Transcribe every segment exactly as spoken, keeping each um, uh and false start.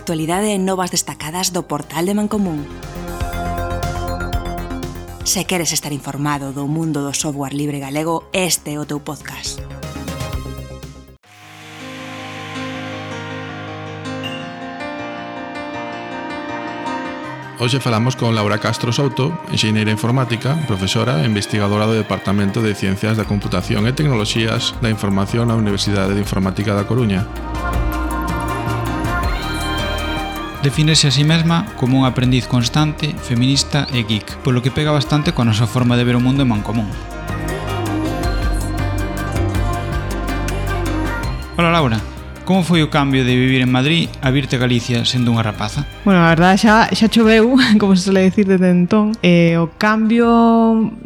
actualidade e novas destacadas do portal de Mancomún. Se queres estar informado do mundo do software libre galego, este é o teu podcast. Hoxe falamos con Laura Castro Souto, enxeñeira informática, profesora e investigadora do Departamento de Ciencias da Computación e Tecnoloxías da Información na Universidade de Informática da Coruña. Defínese a sí mesma como un aprendiz constante, feminista e geek, polo que pega bastante coa nosa forma de ver o mundo en Mancomún. Hola Laura, como foi o cambio de vivir en Madrid a virte a Galicia sendo unha rapaza? Bueno, a verdade xa, xa choveu, como se suele decir desde entón, e o cambio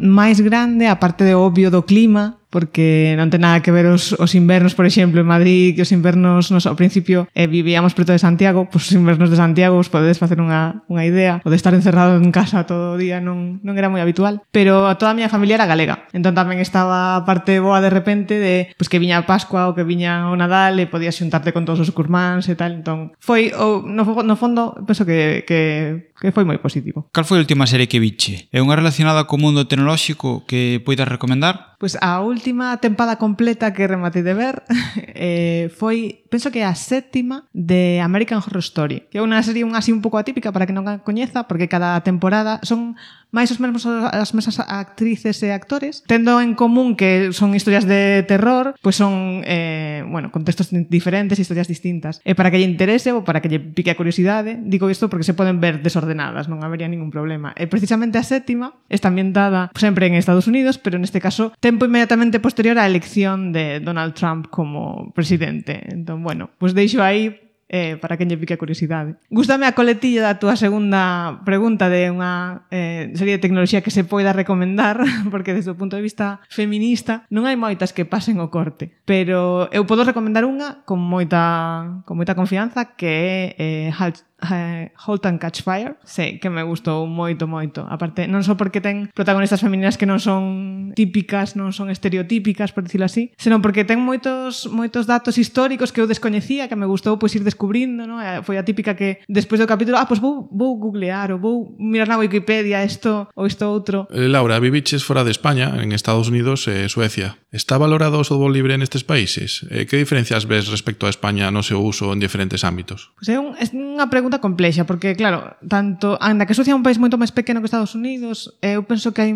máis grande, aparte de obvio do clima, porque non ten nada que ver os, os invernos, por exemplo, en Madrid, que os invernos, nos, ao principio, eh, vivíamos preto de Santiago, pois os invernos de Santiago vos podedes facer unha, unha idea, o de estar encerrado en casa todo o día non, non era moi habitual, pero toda a miña familia era galega, entón tamén estaba a parte boa de repente de pois que viña a Pascua ou que viña o Nadal e podías xuntarte con todos os curmáns e tal, entón foi, o, no, no fondo, penso que, que, que foi moi positivo. Cal foi a última serie que viche? É unha relacionada co mundo tecnolóxico que poidas recomendar? Pois a última tempada completa que rematei de ver eh, foi, penso que a sétima de American Horror Story, que é unha serie un así un pouco atípica para que non a coñeza, porque cada temporada son máis os mesmos as mesmas actrices e actores, tendo en común que son historias de terror, pois son eh, bueno, contextos diferentes, historias distintas. E para que lle interese ou para que lle pique a curiosidade, digo isto porque se poden ver desordenadas, non habería ningún problema. E precisamente a sétima está ambientada sempre en Estados Unidos, pero neste caso tempo inmediatamente posterior á elección de Donald Trump como presidente. Entón, bueno, pois deixo aí Eh, para que lle pique a curiosidade. Gústame a coletilla da túa segunda pregunta de unha eh, serie de tecnoloxía que se poida recomendar, porque desde o punto de vista feminista non hai moitas que pasen o corte, pero eu podo recomendar unha con moita con moita confianza, que é eh, Halt Halt and Catch Fire. Sí, que me gustou moito, moito. Aparte, non só porque ten protagonistas femininas que non son típicas, non son estereotípicas, por dicilo así, senón porque ten moitos moitos datos históricos que eu descoñecía, que me gustou pois ir descubrindo, ¿no? Foi a típica que despois do capítulo, ah, pois vou, vou googlear ou vou mirar na Wikipedia isto ou isto outro. Eh, Laura, viviches fora de España, en Estados Unidos e Suecia. Está valorado o software libre nestes países? Eh, que diferencias ves respecto a España no seu uso en diferentes ámbitos? Pois é, un, é unha pregunta complexa, porque, claro, tanto, anda que Suecia é un país moito máis pequeno que Estados Unidos, eu penso que hai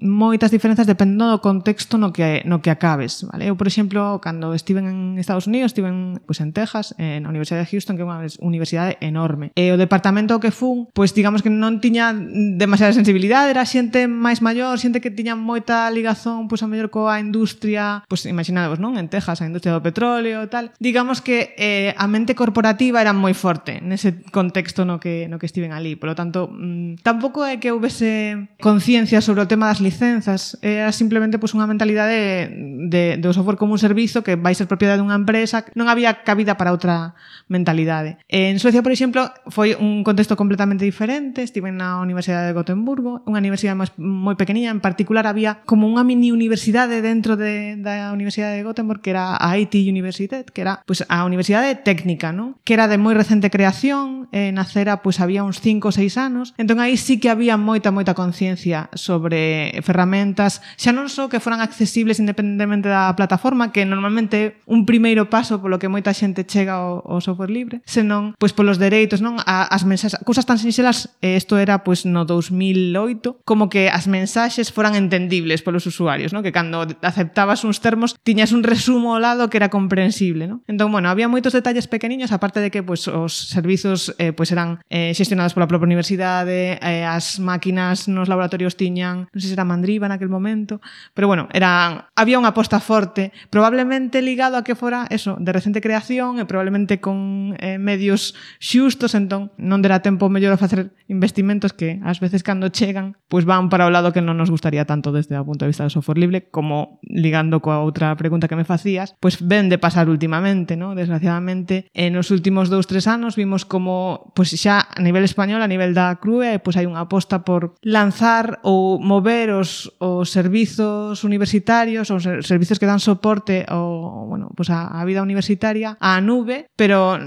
moitas diferenzas dependendo do contexto no que no que acabes, vale? Eu, por exemplo, cando estiven en Estados Unidos, estiven pois en Texas, na Universidade de Houston, que é unha universidade enorme. E o departamento que fun, pois digamos que non tiña demasiada sensibilidade, era xente máis maior, xente que tiña moita ligazón, pois a mellor coa industria, pois imaginadevos, non? En Texas, a industria do petróleo e tal. Digamos que eh, a mente corporativa era moi forte nese contexto no que no que estiven ali. Por lo tanto, mmm, tampouco é que houvese conciencia sobre o tema das licenzas, era simplemente pues, unha mentalidade de, de o software como un servizo que vai ser propiedade dunha empresa, non había cabida para outra mentalidade. En Suecia, por exemplo, foi un contexto completamente diferente, estive na Universidade de Gotemburgo, unha universidade moi, moi pequeniña, en particular había como unha mini universidade dentro de, da Universidade de Gothenburg, que era a I T Universitet, que era pues, a universidade técnica, ¿no? Que era de moi recente creación, eh, nacera pues, había uns cinco ou seis anos, entón aí sí que había moita, moita conciencia sobre ferramentas, xa non só que foran accesibles independentemente da plataforma, que normalmente é un primeiro paso polo que moita xente chega ao, ao software libre, senón pois polos dereitos, non? A, as mensaxes, cousas tan sinxelas, isto era pois no dos mil oito, como que as mensaxes foran entendibles polos usuarios, non? Que cando aceptabas uns termos tiñas un resumo ao lado que era comprensible, non? Entón, bueno, había moitos detalles pequeniños, aparte de que pois os servizos eh, pois eran eh, xestionados pola propia universidade, eh, as máquinas nos laboratorios tiñan, non sei se era Mandriva naquel momento, pero bueno, era, había unha aposta forte, probablemente ligado a que fora eso, de recente creación e probablemente con eh, medios xustos, entón non derá tempo mellor a facer investimentos que ás veces cando chegan, pois van para o lado que non nos gustaría tanto desde o punto de vista do software libre, como ligando coa outra pregunta que me facías, pois ven de pasar últimamente, ¿no? Desgraciadamente, en os últimos dous, tres anos vimos como, pois xa a nivel español, a nivel da C R U E, pois hai unha aposta por lanzar ou mover os, os servizos universitarios, os servizos que dan soporte ao, bueno, pues a, a vida universitaria á nube, pero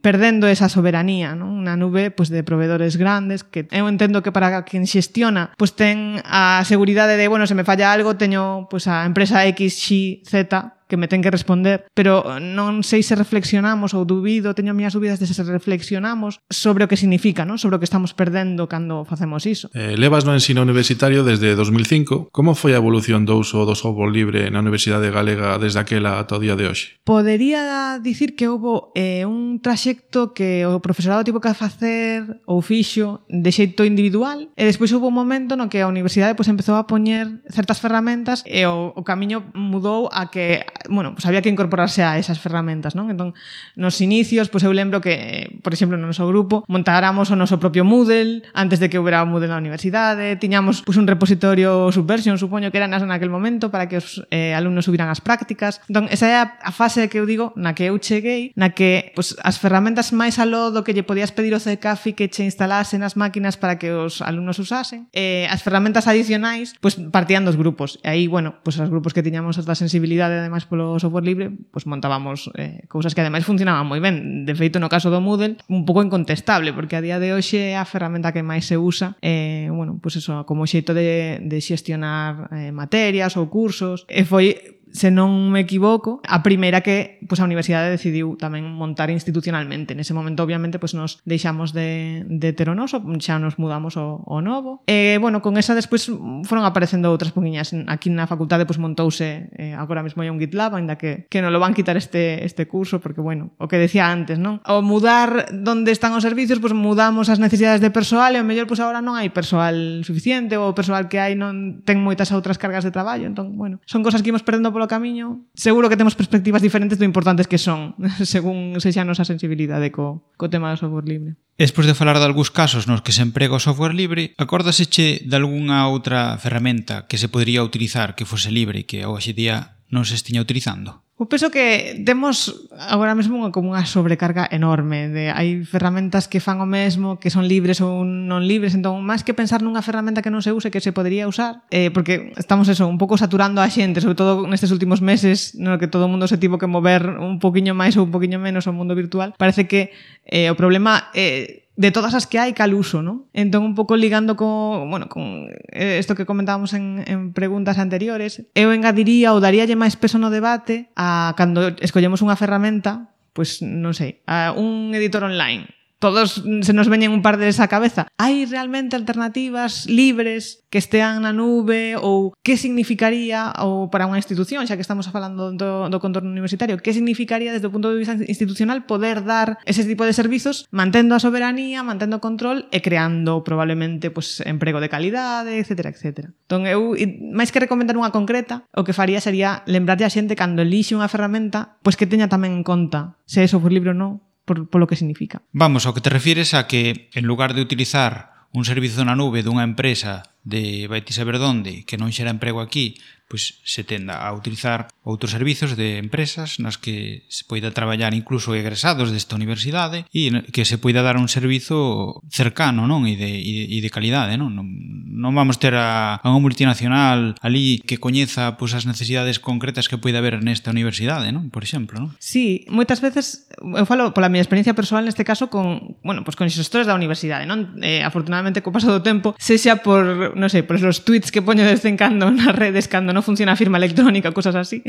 perdendo esa soberanía, non? Unha nube pues, de proveedores grandes que eu entendo que para quen xestiona pues, ten a seguridade de, bueno, se me falla algo, teño pues, a empresa X, Y, Z que me ten que responder, pero non sei se reflexionamos ou dubido, teño miñas dúbidas de se reflexionamos sobre o que significa, non? Sobre o que estamos perdendo cando facemos iso. Eh, levas no ensino universitario desde dos mil cinco. Como foi a evolución do uso do software libre na Universidade Galega desde aquela ata o día de hoxe? Podería dicir que houve eh, un traxecto que o profesorado tivo que facer ou fixo de xeito individual e despois houve un momento no que a universidade pues, empezou a poñer certas ferramentas e o, o camiño mudou a que bueno, pues había que incorporarse a esas ferramentas, non? Entón, nos inicios, pues eu lembro que, por exemplo, no noso grupo, montáramos o noso propio Moodle antes de que houbera Moodle na universidade, tiñamos pues, un repositorio Subversion, supoño que era nas naquel momento, para que os eh, alumnos subiran as prácticas. Entón, esa é a fase que eu digo, na que eu cheguei, na que pues, as ferramentas máis aló do que lle podías pedir o C C A F I que che instalase nas máquinas para que os alumnos usasen, eh, as ferramentas adicionais pues, partían dos grupos. E aí, bueno, pues, os grupos que tiñamos esta sensibilidade, ademais, polo software libre, pues montábamos eh, cousas que ademais funcionaban moi ben. De feito, no caso do Moodle, un pouco incontestable, porque a día de hoxe é a ferramenta que máis se usa eh, bueno, pues eso, como xeito de, de xestionar eh, materias ou cursos. E foi, se non me equivoco, a primeira que pues, a universidade decidiu tamén montar institucionalmente. Nese momento, obviamente, pues, nos deixamos de, de ter o noso, xa nos mudamos ao, ao novo. E, bueno, con esa despois foron aparecendo outras poquinhas. Aquí na facultade pues, montouse, eh, agora mesmo hai un GitLab, ainda que, que non lo van quitar este, este curso, porque, bueno, o que decía antes, non? Ao mudar donde están os servicios, pues, mudamos as necesidades de persoal e, ao mellor, pues, agora non hai persoal suficiente ou o persoal que hai non ten moitas outras cargas de traballo. Entón, bueno, son cosas que imos perdendo polo camiño. Seguro que temos perspectivas diferentes do importantes que son, según sexa a nosa sensibilidade co, co tema do software libre. Despois de falar de algúns casos nos que se emprega o software libre, acórdaseche de algunha outra ferramenta que se podría utilizar que fose libre e que hoxe día non se estiña utilizando? Eu penso que temos agora mesmo como unha sobrecarga enorme. De, hai ferramentas que fan o mesmo, que son libres ou non libres, entón, máis que pensar nunha ferramenta que non se use, que se podría usar, eh, porque estamos eso, un pouco saturando a xente, sobre todo nestes últimos meses, no que todo o mundo se tivo que mover un poquinho máis ou un poquinho menos ao mundo virtual. Parece que eh, o problema é eh, de todas as que hai, cal uso, non? Entón, un pouco ligando co, bueno, con isto que comentábamos en, en preguntas anteriores, eu engadiría ou daríalle máis peso no debate a cando escollemos unha ferramenta, pois, non sei, a un editor online. Todos se nos veñen un par deles á cabeza. Hai realmente alternativas libres que estean na nube ou que significaría ou para unha institución, xa que estamos falando do, do contorno universitario, que significaría desde o punto de vista institucional poder dar ese tipo de servizos mantendo a soberanía, mantendo o control e creando probablemente pues, emprego de calidade, etcétera, etcétera. Entón, eu, máis que recomendar unha concreta, o que faría sería lembrarlle a xente cando elixe unha ferramenta pois que teña tamén en conta se é software libre ou non, por, por lo que significa. Vamos, ao que te refires a que en lugar de utilizar un servizo na nube dunha empresa de vai ti saber donde, que non xera emprego aquí, pois se tenda a utilizar outros servizos de empresas nas que se poida traballar incluso egresados desta universidade e que se poida dar un servizo cercano, non? E de, e de calidade, non? Non, non vamos ter a, a unha multinacional ali que coñeza pois, as necesidades concretas que poida haber nesta universidade, non? Por exemplo, non? Sí, moitas veces, eu falo pola miña experiencia persoal neste caso con, bueno, pues con xestores da universidade, non? Eh, afortunadamente, co paso do tempo, sexa por, non sei, por os tweets que poño de vez en cando nas redes cando non funciona a firma electrónica, cosas así,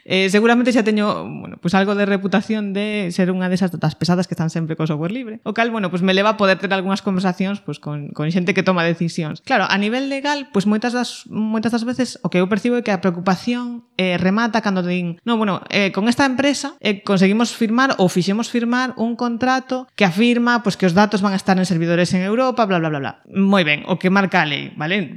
eh, seguramente xa teño bueno, pues algo de reputación de ser unha desas das pesadas que están sempre co software libre. O cal, bueno, pues me leva a poder ter algunhas conversacións pues, con, con xente que toma decisións. Claro, a nivel legal, pues moitas das, moitas das veces o que eu percibo é que a preocupación eh, remata cando din, no, bueno, eh, con esta empresa eh, conseguimos firmar ou fixemos firmar un contrato que afirma pues, que os datos van a estar en servidores en Europa, bla, bla, bla, bla. Moi ben, o que marca a lei, vale?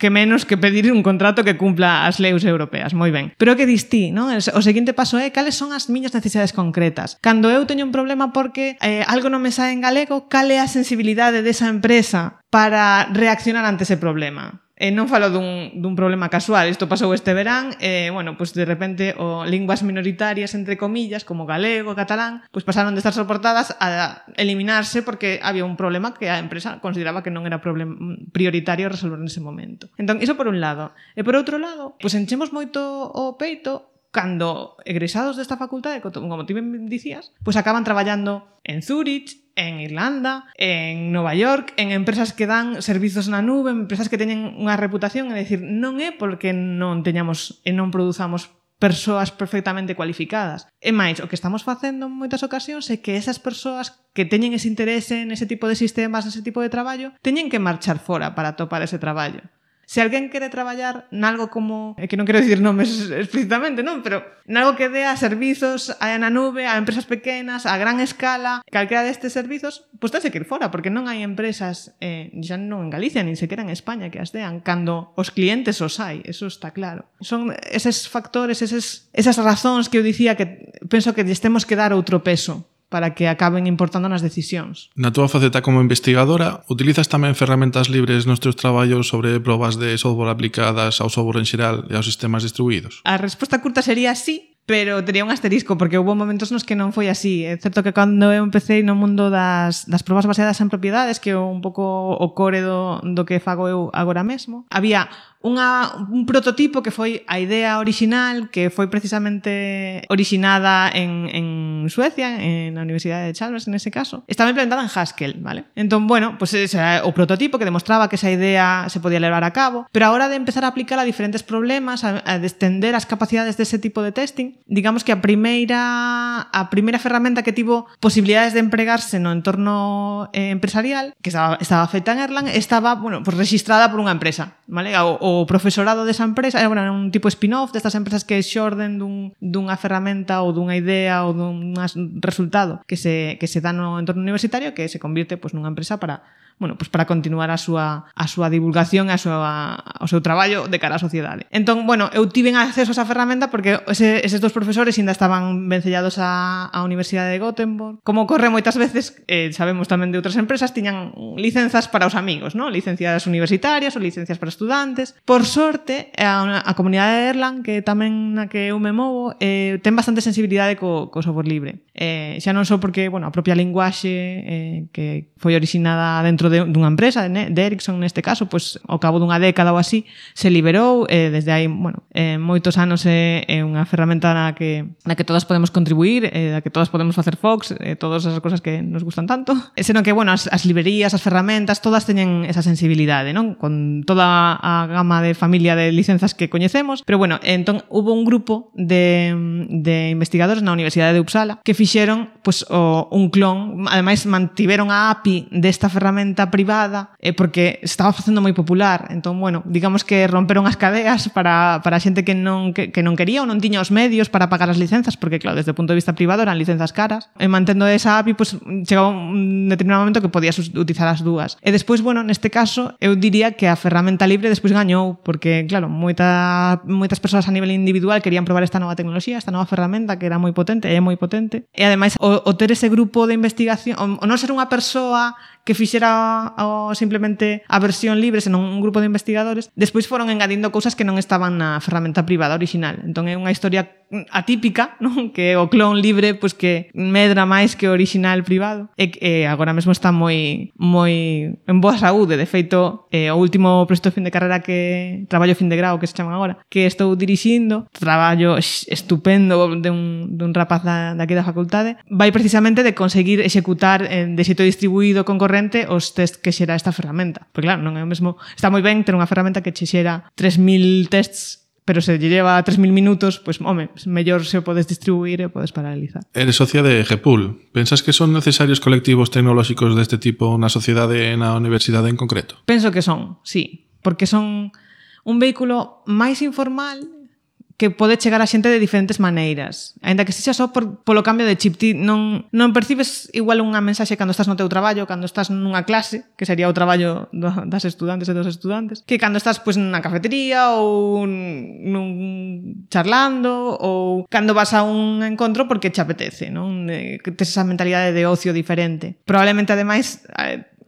Que menos que pedir un contrato que cumpla as leis europeas, moi ben. Pero que distí, non? O seguinte paso é cales son as miñas necesidades concretas. Cando eu teño un problema porque eh, algo non me sae en galego, cal é a sensibilidade desa empresa para reaccionar ante ese problema? E non falo dun, dun problema casual, isto pasou este verán, e, bueno, pues de repente o linguas minoritarias, entre comillas, como galego, catalán, pues pasaron de estar soportadas a eliminarse porque había un problema que a empresa consideraba que non era problem, prioritario resolver nese momento. Entón, iso por un lado. E por outro lado, pues enchemos moito o peito cando egresados desta facultade, como ti ben dicías, pois acaban traballando en Zurich, en Irlanda, en Nova York, en empresas que dan servizos na nube, empresas que teñen unha reputación, é dicir, non é porque non teñamos e non produzamos persoas perfectamente cualificadas. E máis, o que estamos facendo en moitas ocasións é que esas persoas que teñen ese interese nese tipo de sistemas, nese tipo de traballo, teñen que marchar fora para atopar ese traballo. Se alguén quere traballar nalgo como, é que non quero dicir nomes explícitamente, non? Pero nalgo que dea servizos a na nube, a empresas pequenas, a gran escala, calquera destes servizos, pois tense que ir fora, porque non hai empresas, eh, xa non en Galicia, nin sequera en España, que as dean, cando os clientes os hai, eso está claro. Son eses factores, eses, esas razóns que eu dicía que penso que lles temos que dar outro peso para que acaben importando nas decisións. Na túa faceta como investigadora, utilizas tamén ferramentas libres nos teus traballos sobre probas de software aplicadas ao software en xeral e aos sistemas distribuídos? A resposta curta sería sí, pero tería un asterisco, porque houve momentos nos que non foi así. É certo que cando eu empecé no mundo das, das probas baseadas en propiedades, que é un pouco o core do, do que fago eu agora mesmo, había unha, un prototipo que foi a idea original, que foi precisamente originada en, en Suecia, en a Universidade de Chalmers, en ese caso. Estaba implementada en Haskell, ¿vale? Entón, bueno, pues ese era o prototipo que demostraba que esa idea se podía levar a cabo, pero a hora de empezar a aplicar a diferentes problemas, a, a extender as capacidades dese tipo de testing, digamos que a primeira a primeira ferramenta que tivo posibilidades de empregarse no entorno eh, empresarial, que estaba, estaba feita en Erlang, estaba, bueno, pues registrada por unha empresa, ¿vale? O, o profesorado desa empresa era, bueno, un tipo spin-off destas empresas que xorden dun, dunha ferramenta ou dunha idea ou dun resultado que se, que se dá no entorno universitario, que se convirte pues, nunha empresa para, bueno, pues para continuar a súa, a súa divulgación e a súa, ao seu traballo de cara á sociedade. Entón, bueno, eu tiven acceso a esa ferramenta porque ese, eses dos profesores ainda estaban vencellados á, á Universidade de Gothenburg. Como ocorre moitas veces, eh, sabemos tamén de outras empresas, tiñan licenzas para os amigos, ¿no? Licencias universitarias ou licencias para estudantes. Por sorte, a, a comunidade de Erlang, que tamén na que eu me movo, eh, ten bastante sensibilidade co, co software libre. Eh, xa non só porque, bueno, a propia linguaxe eh, que foi originada dentro de, dunha empresa, de, de Ericsson neste caso, pois ao cabo dunha década ou así, se liberou, eh, desde aí, bueno, eh, moitos anos é eh, unha ferramenta na que, na que todas podemos contribuir, eh, na que todas podemos facer Fox, eh, todas esas cosas que nos gustan tanto, e senón que, bueno, as, as librerías, as ferramentas, todas teñen esa sensibilidade, non? Con toda a gama de familia de licenzas que coñecemos, pero bueno, entón hubo un grupo de, de investigadores na Universidade de Uppsala que fixeron pues, o, un clon, ademais mantiveron a A P I desta ferramenta privada eh, porque estaba facendo moi popular, entón, bueno, digamos que romperon as cadeas para, para a xente que non, que, que non quería ou non tiña os medios para pagar as licenzas, porque claro, desde o punto de vista privado eran licenzas caras, e mantendo esa A P I, pues, chegaba un determinado momento que podías utilizar as dúas. E despois, bueno, neste caso, eu diría que a ferramenta libre despois gañou, porque, claro, moita, moitas persoas a nivel individual querían probar esta nova tecnoloxía, esta nova ferramenta que era moi potente, e é moi potente, e ademais o, o ter ese grupo de investigación, o, o non ser unha persoa que fixera o, simplemente a versión libre, senón un grupo de investigadores, despois foron engadindo cousas que non estaban na ferramenta privada original. Entón é unha historia atípica, non? Que o clon libre pois que medra máis que o original privado, e que agora mesmo está moi moi en boa saúde. De feito, eh, o último proxecto de fin de carreira que traballo fin de grau, que se chaman agora, que estou dirixindo, traballo estupendo de un, de un rapaz da, daqui da facultade, vai precisamente de conseguir executar en, de xeito distribuído con corrente os test que xera esta ferramenta. Porque claro, non é o mesmo, está moi ben ter unha ferramenta que che xera tres mil tests, pero se lle lleva tres mil minutos, pois, pues, home, mellor se o podes distribuir e o podes paralizar. Eres socia de Gepul. Pensas que son necesarios colectivos tecnolóxicos deste tipo na sociedade e na universidade en concreto? Penso que son, sí, porque son un vehículo máis informal que pode chegar a xente de diferentes maneiras. Ainda que sexa só por, polo cambio de chip. Ti non, non percibes igual unha mensaxe cando estás no teu traballo, cando estás nunha clase, que sería o traballo das estudantes e dos estudantes, que cando estás pois, nunha cafetería ou nun charlando, ou cando vas a un encontro porque te apetece, non? Que tes esa mentalidade de ocio diferente. Probablemente, ademais,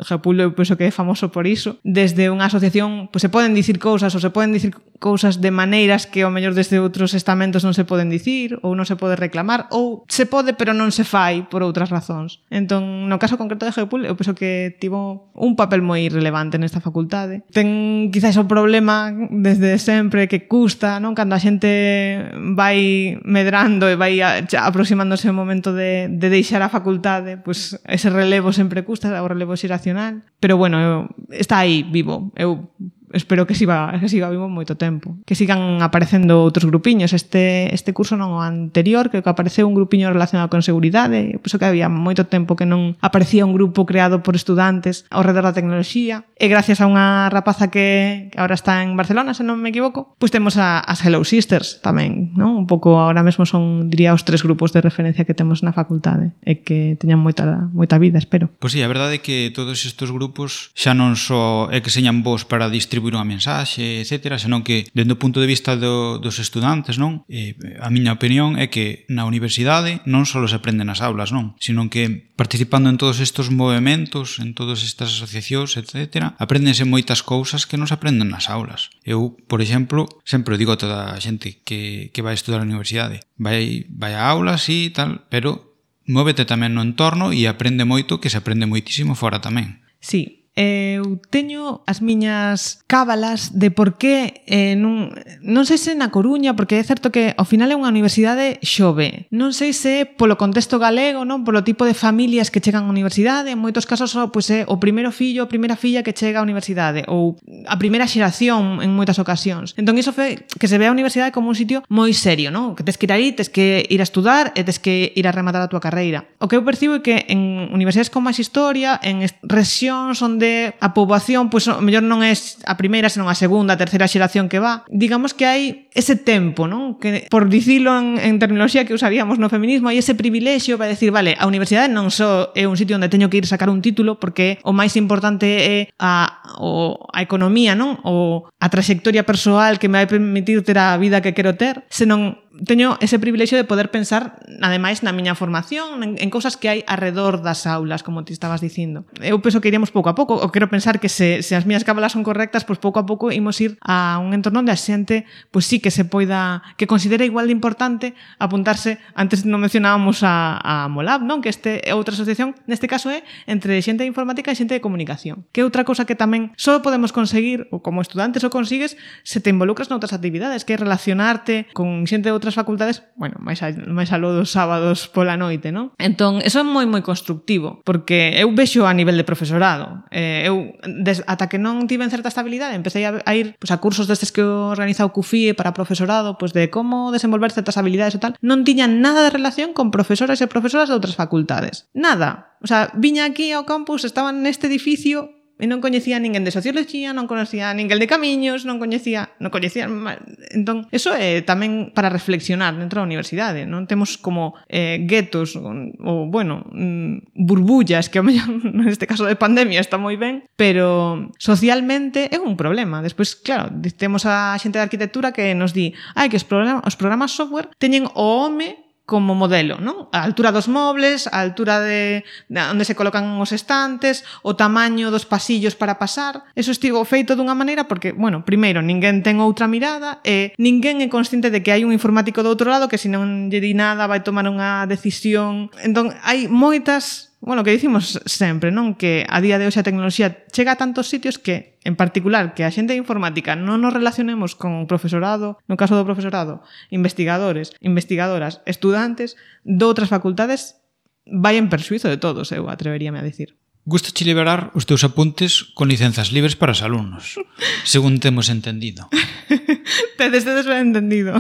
Geopul eu penso que é famoso por iso. Desde unha asociación pues, se poden dicir cousas ou se poden dicir cousas de maneiras que ao mellor desde outros estamentos non se poden dicir ou non se pode reclamar ou se pode pero non se fai por outras razóns. Entón, no caso concreto de Geopul eu penso que tivo un papel moi relevante nesta facultade. Ten quizás o problema desde sempre que custa, non? Cando a xente vai medrando e vai aproximándose o momento de, de deixar a facultade, pues ese relevo sempre custa, o relevo xeracional, pero bueno, eu, está aí vivo. Eu espero que siga, que siga vivo moito tempo. Que sigan aparecendo outros grupiños. Este, este curso non o anterior, creo que apareceu un grupiño relacionado con seguridade. Eu penso que había moito tempo que non aparecía un grupo creado por estudantes ao redor da tecnoloxía. E gracias a unha rapaza que, que ahora está en Barcelona, se non me equivoco, pois temos a, as Hello Sisters tamén, non? Un pouco ahora mesmo son, diría, os tres grupos de referencia que temos na facultade e que teñan moita, moita vida, espero. Pois sí, a verdade é que todos estes grupos xa non só é que señan vos para distribuir unha mensaxe, etcétera, senón que, dende o punto de vista do, dos estudantes, non? Eh, a miña opinión é que na universidade non só se aprende nas aulas, non? Sino que participando en todos estes movementos, en todas estas asociacións, etcétera, apréndense moitas cousas que non se aprenden nas aulas. Eu, por exemplo, sempre digo a toda a xente que, que vai estudar a universidade, vai, vai a aulas e tal, pero móvete tamén no entorno e aprende moito, que se aprende moitísimo fora tamén. Sí. Eu teño as miñas cábalas de por que eh, non, non sei se na Coruña, porque é certo que ao final é unha universidade xove, non sei se polo contexto galego, non, polo tipo de familias que chegan á universidade, en moitos casos só pois, é o primeiro fillo ou primeira filla que chega á universidade ou a primeira xeración en moitas ocasións. Entón iso fe que se ve a universidade como un sitio moi serio, non? Que tes que ir aí, tes que ir a estudar e tes que ir a rematar a túa carreira. O que eu percibo é que en universidades con máis historia, en rexións onde a poboación, pois, pues, mellor non é a primeira, senón a segunda, a terceira xeración que va. Digamos que hai ese tempo, non? Que, por dicilo en, en terminoloxía que usaríamos no feminismo, hai ese privilexio para decir, vale, a universidade non só é un sitio onde teño que ir sacar un título, porque o máis importante é a, o, a economía, non? O a trayectoria persoal que me vai permitir ter a vida que quero ter, senón teño ese privilexio de poder pensar, ademais, na miña formación, en, en cousas que hai arredor das aulas, como te estabas dicindo. Eu penso que iríamos pouco a pouco, ou quero pensar que se, se as miñas cábalas son correctas, pois pouco a pouco imos ir a un entorno onde a xente, pois sí que se poida, que considere igual de importante apuntarse, antes non mencionábamos a, a Molab, non? Que este é outra asociación, neste caso é entre xente de informática e xente de comunicación. Que é outra cousa que tamén só podemos conseguir, ou como estudantes o consigues, se te involucras noutras actividades, que é relacionarte con xente de outras facultades, bueno, máis, a, máis aló dos sábados pola noite, non? Entón, eso é moi, moi constructivo, porque eu vexo a nivel de profesorado. Eh, eu, des, ata que non tive certa estabilidade, empecé a, a ir pues, a cursos destes que organiza o C U F I E para profesorado, pues, de como desenvolver certas habilidades e tal, non tiñan nada de relación con profesoras e profesoras de outras facultades. Nada. O sea, viña aquí ao campus, estaban neste edificio e non coñecía a ninguén de socioloxía, non coñecía a ninguén de camiños, non coñecía, non coñecía, entón, eso é tamén para reflexionar dentro da universidade, non temos como eh, guetos ou, bueno, mm, burbullas, que ao mellor neste caso de pandemia está moi ben, pero socialmente é un problema. Despois, claro, temos a xente de arquitectura que nos di, ai, que os programas, os programas software teñen o home como modelo, non? A altura dos mobles, a altura de, de onde se colocan os estantes, o tamaño dos pasillos para pasar. Eso estivo feito dunha maneira porque, bueno, primeiro, ninguén ten outra mirada e ninguén é consciente de que hai un informático do outro lado que se non lle di nada vai tomar unha decisión. Entón, hai moitas... Bueno, que dicimos sempre, non? Que a día de hoxe a tecnoloxía chega a tantos sitios que, en particular, que a xente de informática non nos relacionemos con profesorado, no caso do profesorado, investigadores, investigadoras, estudantes de outras facultades, vai en perxuízo de todos, eu atreveríame a dicir. Gustache liberar os teus apuntes con licenzas libres para os alumnos, según temos entendido. Tedes tedes ben entendido.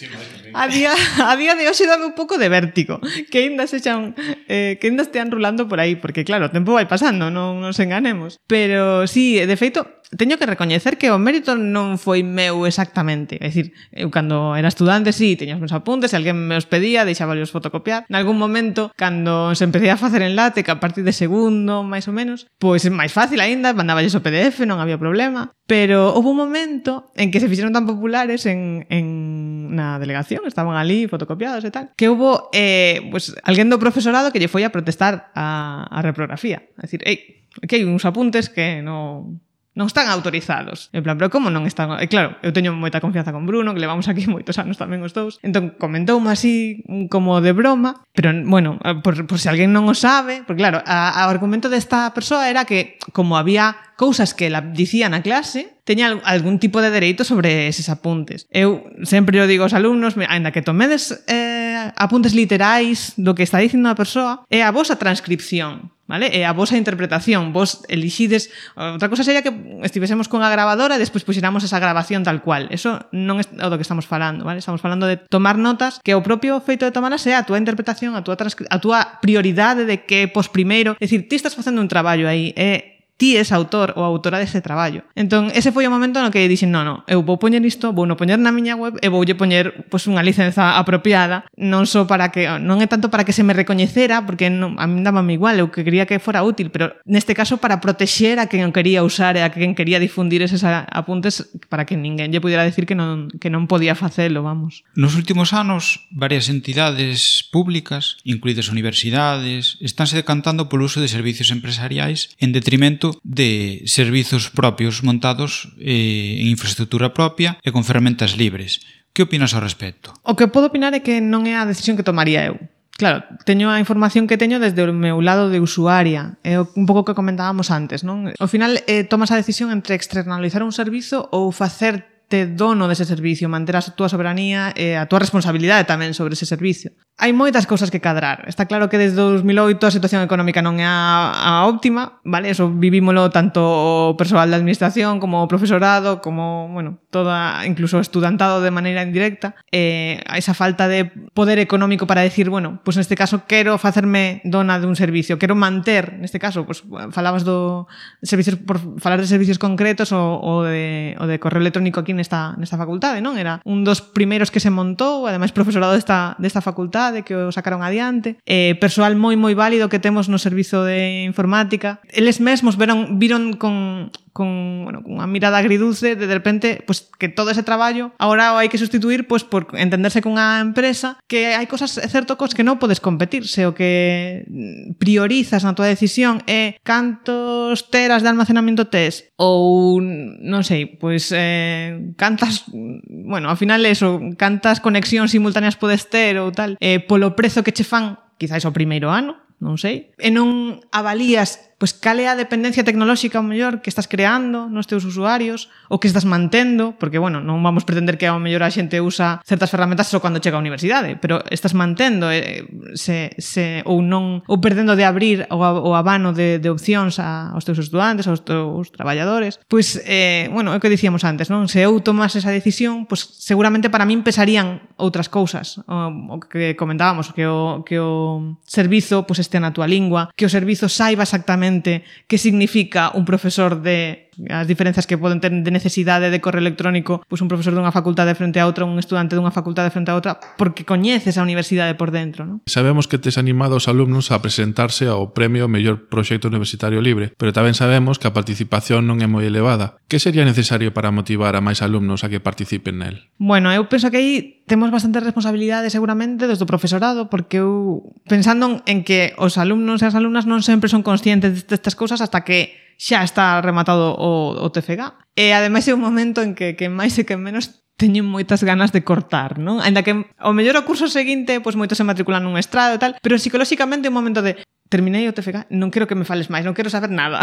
Sí, a día, a día de hoxe dame un pouco de vértigo que ainda sexan eh, que ainda estean rulando por aí, porque claro, o tempo vai pasando, non nos enganemos, pero sí, de feito teño que recoñecer que o mérito non foi meu exactamente. É dicir, eu cando era estudante, sí, teña os meus apuntes, se alguén me os pedía, deixaba os fotocopiar. En algún momento, cando se empecé a facer en LaTeX a partir de segundo, máis ou menos, pois é máis fácil aínda, mandaballes o P D F, non había problema. Pero houve un momento en que se fixeron tan populares en, en na delegación, estaban ali fotocopiados e tal, que hubo eh, pues, alguén do profesorado que lle foi a protestar a, a reprografía. A decir, ei, aquí hai uns apuntes que non... non están autorizados. En plan, pero como non están... E claro, eu teño moita confianza con Bruno, que levamos aquí moitos anos tamén os dous. Entón, comentoume así como de broma, pero, bueno, por, por se alguén non o sabe, porque claro, a, a argumento desta persoa era que, como había cousas que la dicía na clase, teña algún tipo de dereito sobre eses apuntes. Eu sempre o digo aos alumnos, ainda que tomedes eh, apuntes literais do que está dicindo a persoa, é a vosa transcripción, vale? É a vosa interpretación. Vos elixides... Outra cosa sería que estivésemos con a grabadora e despois puxéramos esa grabación tal cual. Eso non é o do que estamos falando, vale? Estamos falando de tomar notas, que o propio feito de tomarlas é a túa interpretación, a túa, a túa prioridade de que pos primeiro... É dicir, ti estás facendo un traballo aí, é... ti és autor ou autora dese traballo. Entón, ese foi o momento no que dixen, non, non, eu vou poñer isto, vou non poñer na miña web e voulle poñer pois, unha licenza apropiada, non só para que, non é tanto para que se me recoñecera, porque non, a mí dábame igual, eu que quería que fora útil, pero neste caso para protexer a quen o quería usar e a quen quería difundir eses apuntes para que ninguén lle pudiera decir que non, que non podía facelo, vamos. Nos últimos anos, varias entidades públicas, incluídas universidades, estánse decantando polo uso de servicios empresariais en detrimento de servizos propios montados eh, en infraestructura propia e con ferramentas libres. Que opinas ao respecto? O que podo opinar é que non é a decisión que tomaría eu. Claro, teño a información que teño desde o meu lado de usuaria. É un pouco o que comentábamos antes, non? Ao final, eh, tomas a decisión entre externalizar un servizo ou facerte dono dese servicio, manter a túa soberanía e a túa responsabilidade tamén sobre ese servicio. Hai moitas cousas que cadrar. Está claro que desde dos mil oito a situación económica non é a, a óptima, vale? Eso vivímolo tanto o persoal da administración como o profesorado, como, bueno, toda, incluso o estudantado de maneira indirecta. Eh, esa falta de poder económico para decir, bueno, pues neste caso quero facerme dona dun servicio, quero manter, neste caso, pues falabas do servicios, por falar de servicios concretos o, o, de, o de correo electrónico aquí nesta, nesta facultade, non? Era un dos primeiros que se montou, ademais profesorado desta, desta facultade, que o sacaron adiante, eh, persoal moi moi válido que temos no servizo de informática. Eles mesmos veron, viron con, con, bueno, con unha mirada agridulce de, de repente pues, que todo ese traballo agora hai que sustituir pues, por entenderse cunha empresa, que hai cosas, é certo, cos que non podes competir, se o que priorizas na tua decisión é cantos teras de almacenamento tes ou, non sei, pois eh, cantas, bueno, ao final eso, cantas conexións simultáneas podes ter ou tal, eh, polo prezo que che fan, quizáis ao primeiro ano, non sei, e non avalías pois cal é a dependencia tecnolóxica ao mellor que estás creando nos teus usuarios ou que estás mantendo, porque, bueno, non vamos pretender que ao mellor a xente usa certas ferramentas só cando chega á universidade, pero estás mantendo eh, se, se, ou non ou perdendo de abrir o, o abano de, de opcións a, aos teus estudantes, aos teus traballadores. Pois, eh, bueno, é o que dicíamos antes, non? Se eu tomase esa decisión, pois seguramente para min pesarían outras cousas, o, o que comentábamos, que o, que o servizo pois este na túa lingua, que o servizo saiba exactamente que significa un profesor de as diferenzas que poden ter de necesidade de correo electrónico, pois un profesor dunha facultade frente a outra, un estudante dunha facultade frente a outra, porque coñeces a universidade por dentro, non? Sabemos que tes animado os alumnos a presentarse ao premio Mellor Proxecto Universitario Libre, pero tamén sabemos que a participación non é moi elevada. Que sería necesario para motivar a máis alumnos a que participen nel? Bueno, eu penso que aí temos bastante responsabilidade seguramente desde o profesorado, porque eu, pensando en que os alumnos e as alumnas non sempre son conscientes destas cousas hasta que xa está rematado o, o T F G A. E ademais é un momento en que, que máis e que menos teñen moitas ganas de cortar, non? Ainda que ao mellor o curso seguinte, pois moitos se matriculan nun estrado e tal, pero psicolóxicamente é un momento de terminei o T F G A, non quero que me fales máis, non quero saber nada.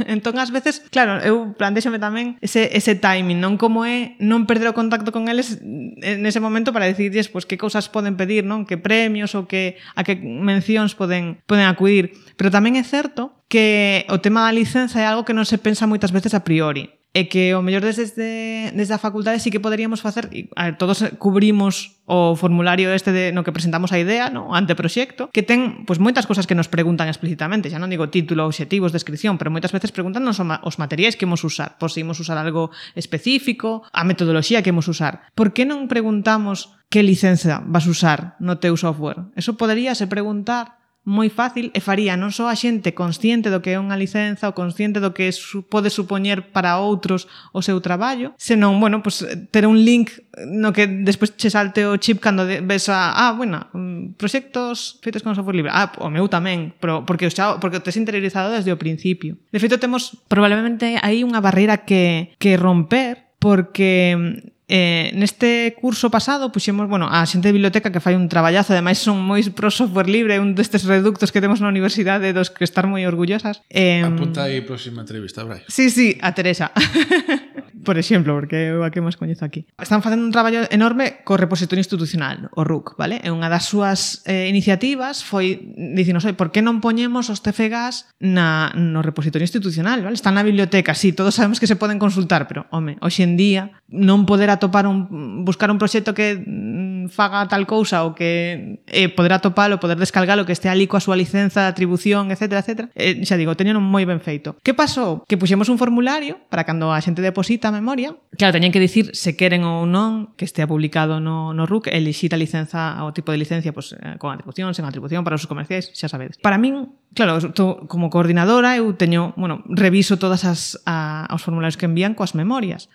Entón, ás veces, claro, eu plantexome tamén ese, ese timing, non como é non perder o contacto con eles nese momento para decidirles pois, que cousas poden pedir, non? Que premios ou que, a que mencións poden, poden acudir. Pero tamén é certo que o tema da licenza é algo que non se pensa moitas veces a priori. E que o mellor desde, desde a facultade sí que poderíamos facer, a ver, todos cubrimos o formulario este de, no que presentamos a idea, no? O anteproxecto, que ten pois, moitas cosas que nos preguntan explícitamente, xa non digo título, obxectivos, descripción, pero moitas veces preguntan os materiais que imos usar, por se imos usar algo específico, a metodoloxía que imos usar. Por que non preguntamos que licenza vas usar no teu software? Eso poderíase preguntar moi fácil e faría non só a xente consciente do que é unha licenza ou consciente do que su, pode supoñer para outros o seu traballo, senón, bueno, pues, ter un link no que despois che salte o chip cando ves a, ah, bueno, proxectos feitos con software libre. Ah, o meu tamén, pero porque o xa, porque o tes interiorizado desde o principio. De feito, temos probablemente aí unha barreira que, que romper, porque Eh, neste curso pasado puxemos, bueno, a xente de biblioteca que fai un traballazo, ademais son moi pro software libre, un destes reductos que temos na universidade dos que estar moi orgullosas. Eh, Apunta aí próxima entrevista, Brai. Sí, sí, a Teresa. Por exemplo, porque eu a que máis coñezo aquí. Están facendo un traballo enorme co repositorio institucional, o R U C, vale? E unha das súas eh, iniciativas foi dicinos, oi, por que non poñemos os T F Gas na, no repositorio institucional, vale? Están na biblioteca, sí, todos sabemos que se poden consultar, pero, home, hoxe en día non poder atopar un, buscar un proxecto que mm, faga tal cousa ou que eh, poder atopalo, poder descargalo, que este ali coa súa licenza, atribución, etcétera, etcétera. Eh, xa digo, teñen moi ben feito. Que pasou? Que puxemos un formulario para cando a xente deposita a memoria, claro, teñen que dicir se queren ou non que estea publicado no, no R U C, elixir a licenza, o tipo de licencia, pues, con atribución, sen atribución, para os comerciais, xa sabedes. Para min, claro, tô, como coordinadora, eu teño, bueno, reviso todas as a, os formularios que envían coas memorias.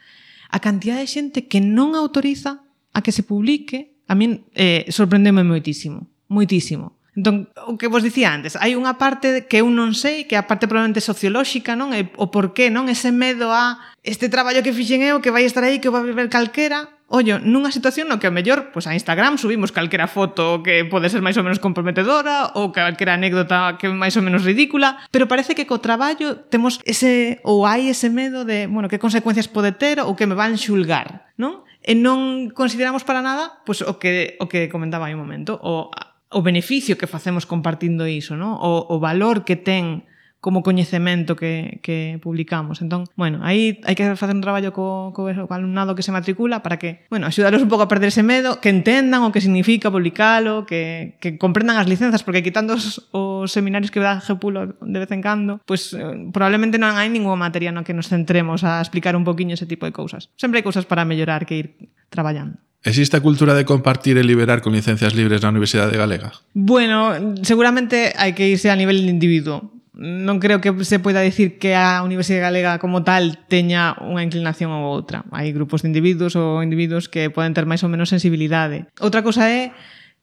A cantidad de xente que non autoriza a que se publique, a min eh, sorprendeme moitísimo, moitísimo. Entón, o que vos dicía antes, hai unha parte que eu non sei, que é a parte probablemente sociolóxica, non? E o porqué, non? Ese medo a este traballo que fixen eu, que vai estar aí, que vai ver calquera. Ollo, nunha situación no que a mellor, pois a Instagram subimos calquera foto que pode ser máis ou menos comprometedora ou calquera anécdota que é máis ou menos ridícula, pero parece que co traballo temos ese, ou hai ese medo de, bueno, que consecuencias pode ter ou que me van xulgar, non? E non consideramos para nada, pois o que o que comentaba hai un momento, o o beneficio que facemos compartindo iso, non? O, o valor que ten como coñecemento que, que publicamos. Entón, bueno, aí hai que facer un traballo co, co, co alumnado que se matricula para que, bueno, axudaros un pouco a perder ese medo, que entendan o que significa publicalo, que, que comprendan as licenzas, porque quitando os, os seminarios que dá Gepulo de vez en cando, pues eh, probablemente non hai ninguna materia no que nos centremos a explicar un poquinho ese tipo de cousas. Sempre hai cousas para mellorar que ir traballando. Existe a cultura de compartir e liberar con licencias libres na Universidade Galega? Bueno, seguramente hai que irse a nivel de individuo. Non creo que se poida dicir que a Universidade Galega como tal teña unha inclinación ou outra. Hai grupos de individuos ou individuos que poden ter máis ou menos sensibilidade. Outra cosa é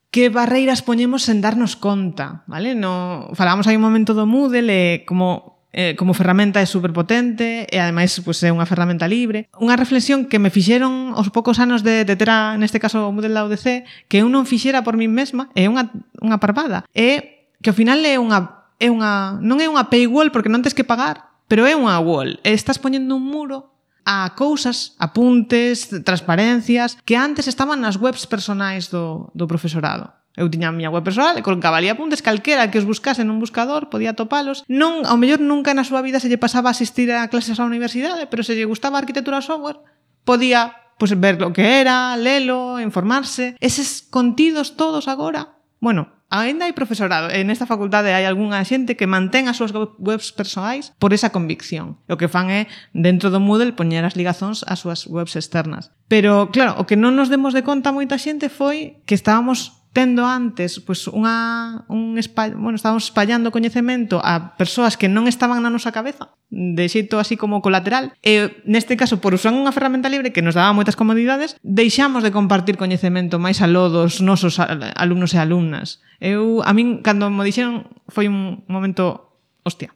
que barreiras poñemos sen darnos conta, vale? No, falábamos aí un momento do Moodle e como Eh, como ferramenta é superpotente e ademais pues, é unha ferramenta libre. Unha reflexión que me fixeron aos poucos anos de, de ter, a, neste caso, o Moodle da U D C, que eu non fixera por min mesma, é unha, unha parvada. É que ao final é unha, é unha, non é unha paywall porque non tens que pagar, pero é unha wall. E estás poñendo un muro a cousas, apuntes, transparencias, que antes estaban nas webs personais do, do profesorado. Eu tiña a miña web personal e colocaba ali apuntes, calquera que os buscase nun buscador podía topalos. Non, ao mellor nunca na súa vida se lle pasaba a asistir a clases á universidade, pero se lle gustaba a arquitectura software, podía pues, ver o que era, lelo, informarse. Eses contidos todos agora, bueno, ainda hai profesorado, e nesta facultade hai algunha xente que mantén as súas webs persoais por esa convicción. O que fan é, dentro do Moodle, poñer as ligazóns ás súas webs externas. Pero, claro, o que non nos demos de conta moita xente foi que estábamos tendo antes pues, unha, un espall... bueno, estábamos espallando coñecemento a persoas que non estaban na nosa cabeza, de xeito así como colateral, e neste caso, por usar unha ferramenta libre que nos daba moitas comodidades, deixamos de compartir coñecemento máis aló dos nosos alumnos e alumnas. Eu, a min, cando me dixeron, foi un momento, hostia,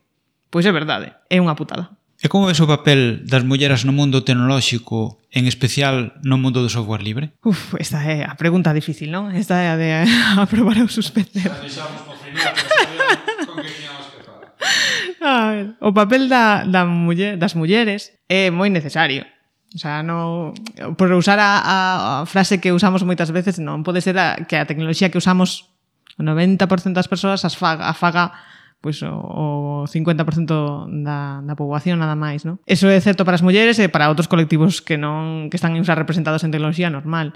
pois é verdade, é unha putada. E como é o papel das mulleres no mundo tecnolóxico, en especial no mundo do software libre? Uf, esta é a pregunta difícil, non? Esta é a de aprobar ou suspender. A ver, o papel da, da muller, das mulleres é moi necesario. O sea, no, por usar a, a frase que usamos moitas veces, non pode ser a, que a tecnoloxía que usamos o noventa por cento das persoas as faga, a faga pois o, o cincuenta por cento da, da poboación nada máis, non? Eso é certo para as mulleres e para outros colectivos que non que están infrarrepresentados en tecnoloxía normal,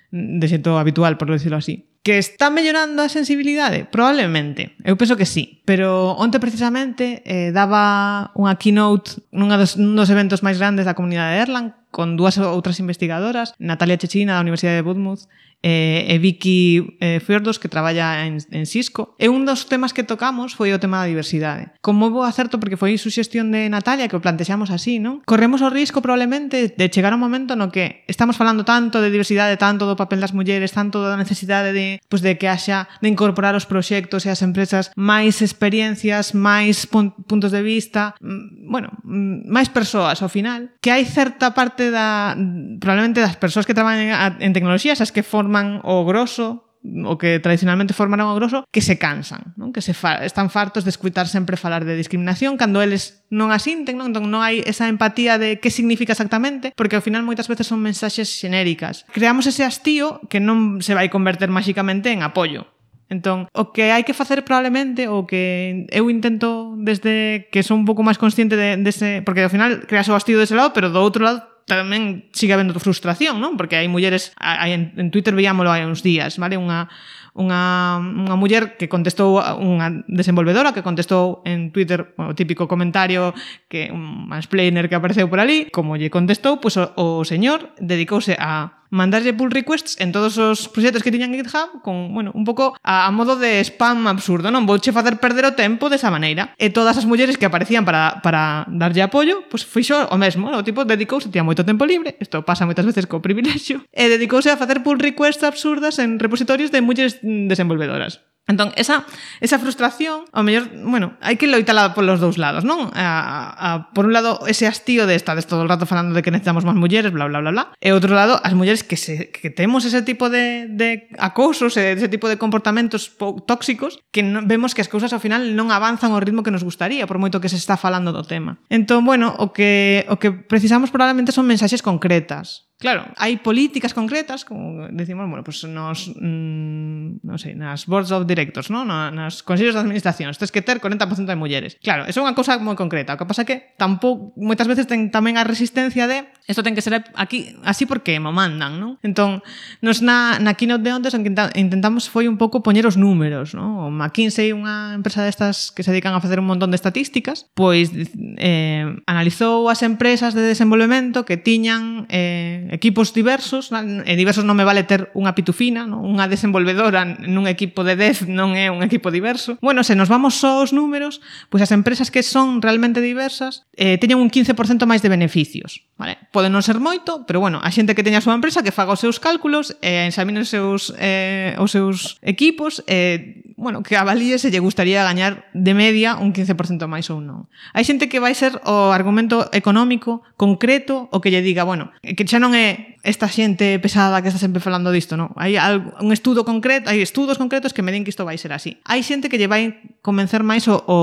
de xeito habitual, por decirlo así. Que está mellorando a sensibilidade? Probablemente. Eu penso que sí. Pero onte precisamente eh, daba unha keynote nunha dos, nun dos eventos máis grandes da comunidade de Erlang con dúas outras investigadoras, Natalia Chechina da Universidade de Budmouth e, e Vicky eh, Fiordos, que traballa en, en Cisco. E un dos temas que tocamos foi o tema da diversidade. Con moi bo acerto, porque foi suxestión de Natalia, que o plantexamos así, non? Corremos o risco, probablemente, de chegar a un momento no que estamos falando tanto de diversidade, tanto do papel das mulleres, tanto da necesidade de, pues, de que haxa, de incorporar os proxectos e as empresas máis experiencias, máis pun- puntos de vista, bueno, máis persoas ao final, que hai certa parte da, probablemente das persoas que traballan en tecnoloxía, esas que forman o grosso, o que tradicionalmente formaron o grosso, que se cansan, non? Que se fa, están fartos de escutar sempre falar de discriminación cando eles non a sinten, non? Entón non hai esa empatía de que significa exactamente, porque ao final moitas veces son mensaxes xenéricas. Creamos ese hastío que non se vai converter máxicamente en apoio. Entón, o que hai que facer probablemente, o que eu intento desde que son un pouco máis consciente de, de ese, porque ao final creas o hastío dese lado, pero do outro lado tamén sigue habendo frustración, non? Porque hai mulleres, hai, en, en Twitter veíamolo hai uns días, vale? Unha, unha, unha muller que contestou, unha desenvolvedora que contestou en Twitter o típico comentario, que un mansplainer que apareceu por ali, como lle contestou, pois o, o señor dedicouse a mandarlle pull requests en todos os proxectos que tiñan en GitHub con, bueno, un pouco a, a modo de spam absurdo, non? Vouche facer perder o tempo desa maneira. E todas as mulleres que aparecían para, para darlle apoio, pois foi xo o mesmo, o tipo dedicouse, tiña moito tempo libre, isto pasa moitas veces co privilexio, e dedicouse a facer pull requests absurdas en repositorios de mulleres desenvolvedoras. Entón, esa, esa frustración, ao mellor, bueno, hai que loitala polos dous lados, non? A, a, por un lado, ese hastío de estar todo o rato falando de que necesitamos máis mulleres, bla, bla, bla, bla. E outro lado, as mulleres que, se, que temos ese tipo de, de acosos, ese tipo de comportamentos tóxicos, que no, vemos que as cousas ao final non avanzan ao ritmo que nos gustaría, por moito que se está falando do tema. Entón, bueno, o que, o que precisamos probablemente son mensaxes concretas. Claro, hai políticas concretas, como decimos, bueno, pues nos, mmm, non sei, nas boards of directors, ¿no? Nas consellos de administración, tens que ter corenta por cento de mulleres. Claro, eso é unha cousa moi concreta. O que pasa é que tampouco, moitas veces ten tamén a resistencia de isto ten que ser aquí así porque mo mandan, non? Entón, nos na, na keynote de ontes intentamos foi un pouco poñer os números, non? O McKinsey, unha empresa destas que se dedican a facer un montón de estatísticas, pois eh, analizou as empresas de desenvolvemento que tiñan eh, equipos diversos, e diversos non me vale ter unha pitufina, non? Unha desenvolvedora nun equipo de dez non é un equipo diverso. Bueno, se nos vamos só aos números, pois as empresas que son realmente diversas eh, teñen un quince por cento máis de beneficios, vale? Pode non ser moito, pero bueno, a xente que teña a súa empresa que faga os seus cálculos e eh, examine os seus, eh, os seus equipos e, eh, bueno, que avalíe se lle gustaría gañar de media un quince por cento máis ou non. Hai xente que vai ser o argumento económico concreto o que lle diga, bueno, que xa non é esta xente pesada que está sempre falando disto, non? Hai un estudo concreto, hai estudos concretos que me din que isto vai ser así. Hai xente que lle vai convencer máis o, o,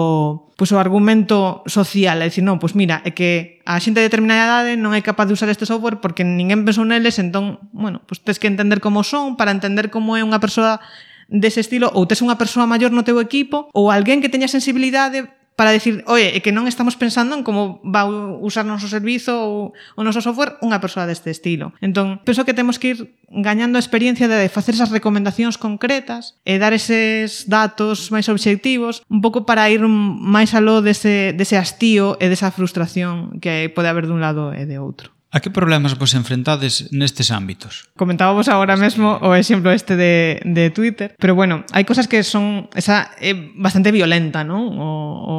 pues, o argumento social, é dicir, non, pois mira, é que a xente de determinada idade non é capaz de usar este software porque ninguén pensou neles, entón, bueno, pois tens que entender como son para entender como é unha persoa dese estilo, ou tes unha persoa maior no teu equipo, ou alguén que teña sensibilidade para decir, oye, é que non estamos pensando en como va a usar o noso servizo ou o noso software unha persoa deste estilo. Entón, penso que temos que ir gañando a experiencia de facer esas recomendacións concretas e dar eses datos máis obxectivos un pouco para ir máis aló dese, dese hastío e desa frustración que pode haber dun lado e de outro. A que problemas vos enfrentades nestes ámbitos? Comentábamos agora mesmo o exemplo este de, de Twitter, pero bueno, hai cosas que son esa é bastante violenta, non? O, o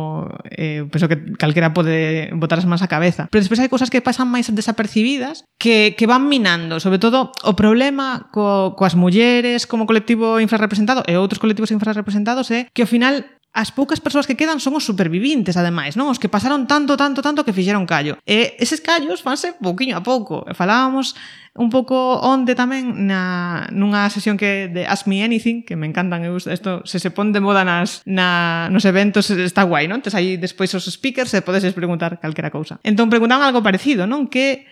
eh, penso que calquera pode botar as mans á cabeza. Pero despois hai cosas que pasan máis desapercibidas que, que van minando, sobre todo o problema co, coas mulleres como colectivo infrarrepresentado e outros colectivos infrarrepresentados é que ao final as poucas persoas que quedan son os supervivintes, ademais, non? Os que pasaron tanto, tanto, tanto que fixeron callo. E eses callos fanse pouquiño a pouco. Falábamos un pouco onde tamén na, nunha sesión que de Ask Me Anything, que me encantan, eu, isto, se se pon de moda nas, na, nos eventos está guai, non? Tes aí despois os speakers e podes preguntar calquera cousa. Entón preguntaban algo parecido, non? Que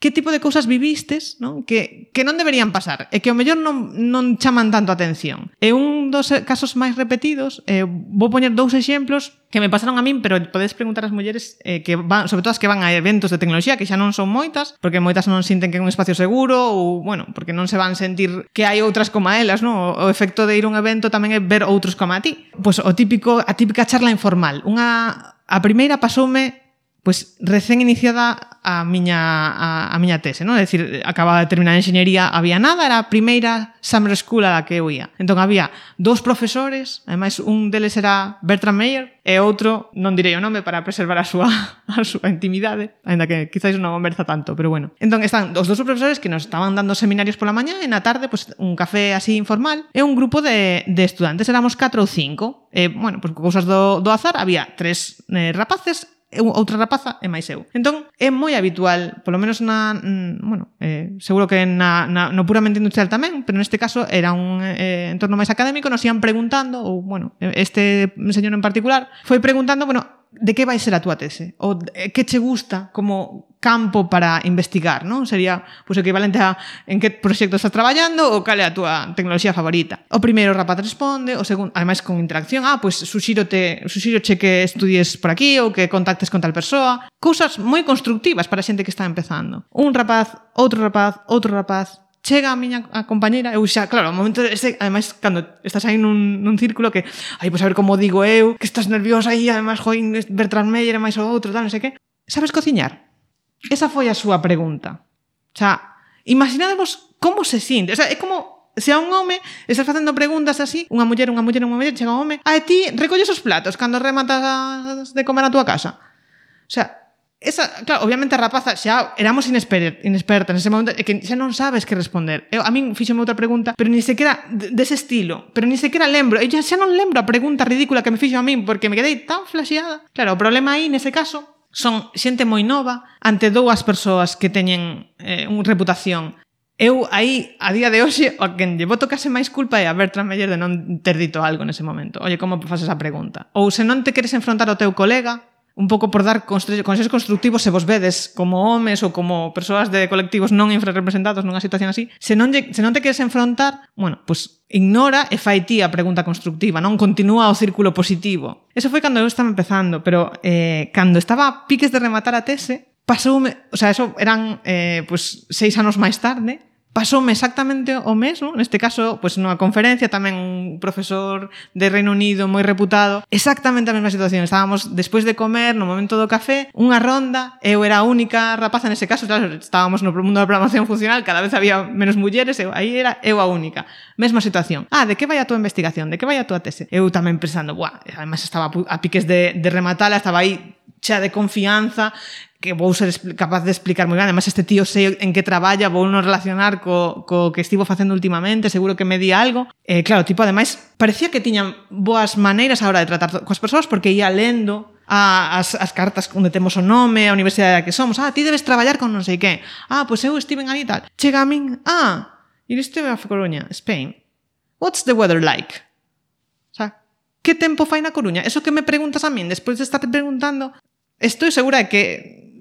que tipo de cousas vivistes, non? Que, que non deberían pasar e que ao mellor non, non chaman tanto a atención. E un dos casos máis repetidos, eh, vou poñer dous exemplos que me pasaron a min, pero podes preguntar ás mulleres eh, que van, sobre todo as que van a eventos de tecnoloxía, que xa non son moitas, porque moitas non sinten que é un espacio seguro ou, bueno, porque non se van sentir que hai outras como a elas, non? O efecto de ir a un evento tamén é ver outros como a ti. Pois o típico, a típica charla informal. Unha, a primeira pasoume pois recén iniciada a miña, a, a miña tese, non? É dicir, acababa de terminar a enxeñería, había nada, era a primeira summer school a la que eu ia. Entón había dous profesores, ademais un deles era Bertrand Meyer e outro, non direi o nome para preservar a súa, a súa intimidade, ainda que quizáis non conversa tanto, pero bueno. Entón están os dous profesores que nos estaban dando seminarios pola mañá e na tarde pues, un café así informal e un grupo de, de estudantes, éramos catro ou cinco. E, bueno, pues, cousas do, do azar, había tres eh, rapaces, outra rapaza e máis eu. Entón, é moi habitual, polo menos na, mm, bueno, eh, seguro que na, na, no puramente industrial tamén, pero neste caso era un eh, entorno máis académico, nos ian preguntando, ou, bueno, este señor en particular, foi preguntando, bueno, de que vai ser a túa tese? Ou que che gusta como campo para investigar, non? Sería pois, equivalente a en que proxecto estás traballando ou cal é a túa tecnoloxía favorita. O primeiro rapaz responde, o segundo, ademais con interacción, ah, pois suxírote, suxíroche que estudies por aquí ou que contactes con tal persoa. Cousas moi constructivas para a xente que está empezando. Un rapaz, outro rapaz, outro rapaz, chega a miña a compañeira, eu xa, claro, ao momento ese, ademais, cando estás aí nun, nun círculo que, ai, pois a ver como digo eu, que estás nerviosa aí, ademais, join, Bertrand Meyer e máis o outro, tal, non sei que. Sabes cociñar? Esa foi a súa pregunta. O sea, imaginadevos como se sinte. O sea, é como se a un home estás facendo preguntas así, unha muller, unha muller, unha muller, chega un home, a ti recolles os platos cando rematas de comer a túa casa. O sea, esa, claro, obviamente a rapaza xa éramos inesper, inespertas nese momento e que xa non sabes que responder. Eu, a min fíxome outra pregunta, pero ni sequera dese estilo, pero ni sequera lembro. Eu xa, xa non lembro a pregunta ridícula que me fixo a min porque me quedei tan flasheada. Claro, o problema aí, nese caso, son xente moi nova ante dúas persoas que teñen eh, unha reputación. Eu aí, a día de hoxe, a quen lle boto case máis culpa é a Bertrand Meyer de non ter dito algo nese momento. Oye, como faz esa pregunta? Ou se non te queres enfrontar ao teu colega, un pouco por dar consejos constructivos se vos vedes como homes ou como persoas de colectivos non infrarrepresentados nunha situación así, se non, lle, se non te queres enfrontar, bueno, pues ignora e fai ti a pregunta constructiva, non continúa o círculo positivo. Eso foi cando eu estaba empezando, pero eh, cando estaba a piques de rematar a tese, pasoume, o sea, eso eran eh, pues seis anos máis tarde, pasoume exactamente o mesmo, neste caso, pois nunha conferencia, tamén un profesor de Reino Unido moi reputado, exactamente a mesma situación. Estábamos despois de comer, no momento do café, unha ronda, eu era a única rapaza nese caso, claro, estábamos no mundo da programación funcional, cada vez había menos mulleres, eu, aí era eu a única. Mesma situación. Ah, de que vai a túa investigación? De que vai a túa tese? Eu tamén pensando, buah, además estaba a piques de, de rematala, estaba aí xa de confianza, que vou ser capaz de explicar moi ben. Además, este tío sei en que traballa, vou non relacionar co, co que estivo facendo últimamente, seguro que me di algo. Eh, claro, tipo, ademais, parecía que tiñan boas maneiras a hora de tratar coas persoas, porque ia lendo a, as, as cartas onde temos o nome, a universidade da que somos. Ah, ti debes traballar con non sei que. Ah, pois eu estive ali e tal. Chega a min, ah, e estive a Coruña, Spain. What's the weather like? O sea, que tempo fai na Coruña? Eso que me preguntas a min, despois de estar preguntando, estou segura de que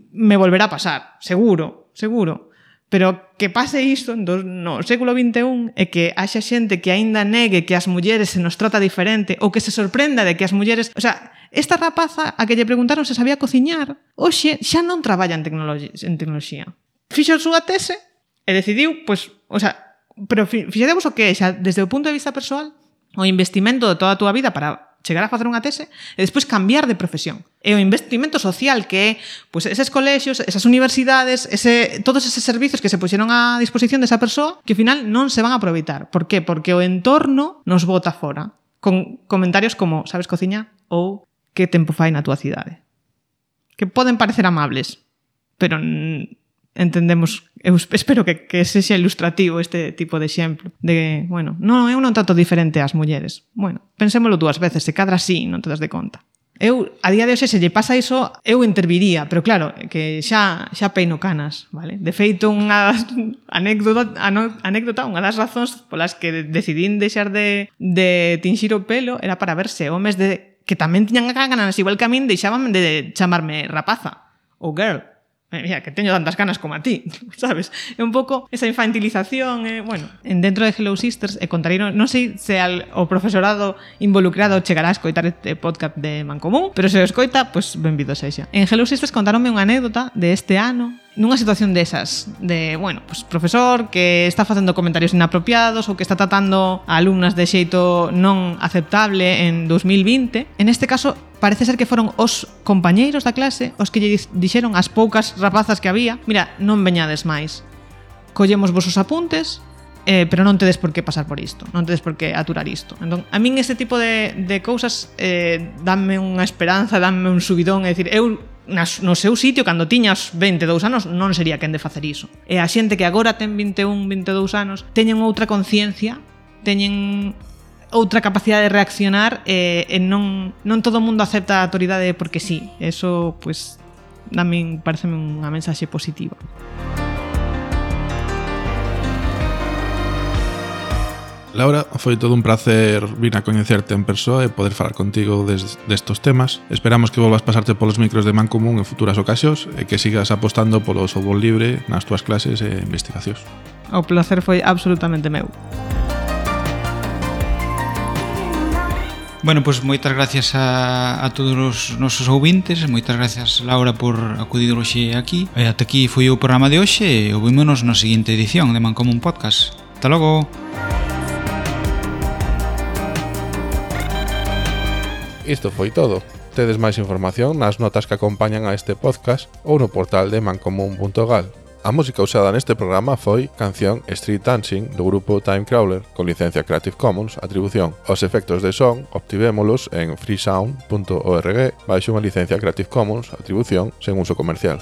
me volverá a pasar, seguro, seguro. Pero que pase isto no século vinte e un e que haxa xente que aínda negue que as mulleres se nos trata diferente ou que se sorprenda de que as mulleres... O sea, esta rapaza a que lle preguntaron se sabía cociñar, hoxe xa non traballa en tecnoloxía. En tecnoloxía. Fixo a súa tese e decidiu, pois, o sea, pero fixadevos o que é, xa, desde o punto de vista persoal, o investimento de toda a túa vida para chegar a facer unha tese e despois cambiar de profesión. E o investimento social que é pois, eses colexios, esas universidades, ese, todos eses servizos que se puxeron a disposición desa persoa que ao final non se van a aproveitar. Por qué? Porque o entorno nos bota fora con comentarios como sabes cociñar ou que tempo fai na túa cidade. Que poden parecer amables, pero entendemos, eu espero que, que sexa ilustrativo este tipo de exemplo de, bueno, non, eu non trato diferente ás mulleres. Bueno, pensémolo dúas veces, se cadra así, non te das de conta. Eu, a día de hoxe, se lle pasa iso, eu interviría, pero claro, que xa xa peino canas, vale? De feito, unha anécdota, anécdota unha das razóns polas que decidín deixar de, de tinxir o pelo era para ver se homes de, que tamén tiñan ganas, igual que a min, deixaban de chamarme rapaza ou girl. Mira, que teño tantas ganas como a ti, sabes? É un pouco esa infantilización, eh, bueno, en dentro de Hello Sisters, e contarei, non sei se al, o profesorado involucrado chegará a escoitar este podcast de Mancomún, pero se o escoita, pois pues, benvido sexa. En Hello Sisters contaronme unha anécdota de este ano, nunha situación desas, de, bueno, pues profesor que está facendo comentarios inapropiados ou que está tratando a alumnas de xeito non aceptable en dos mil vinte. En este caso, parece ser que foron os compañeiros da clase os que lle dixeron as poucas rapazas que había: mira, non veñades máis, collemos vosos apuntes, eh, pero non tedes por que pasar por isto, non tedes por que aturar isto. Entón, a min este tipo de, de cousas eh, danme unha esperanza, danme un subidón. É dicir, eu nas, no seu sitio, cando tiña os vinte e dous anos, non sería quen de facer iso. E a xente que agora ten vinte e un, vinte e dous anos teñen outra conciencia, teñen outra capacidade de reaccionar, e, e non, non todo o mundo acepta a autoridade porque sí. Eso, pues, tamén pareceme unha mensaxe positiva. Laura, foi todo un placer vir a coñecerte en persoa e poder falar contigo des, destos temas. Esperamos que volvas pasarte polos micros de Mancomún en futuras ocasións e que sigas apostando polo software libre nas túas clases e investigacións. O placer foi absolutamente meu. Bueno, pois pues moitas gracias a, a todos os nosos ouvintes. Moitas gracias, Laura, por acudir hoxe aquí. E ata aquí foi o programa de hoxe e ouvímonos na seguinte edición de Mancomún Podcast. Ata logo! Isto foi todo. Tedes máis información nas notas que acompañan a este podcast ou no portal de mancomún punto gal. A música usada neste programa foi canción Street Dancing do grupo Time Crawler con licencia Creative Commons Atribución. Os efectos de son obtivémolos en freesound punto org baixo unha licencia Creative Commons Atribución sen uso comercial.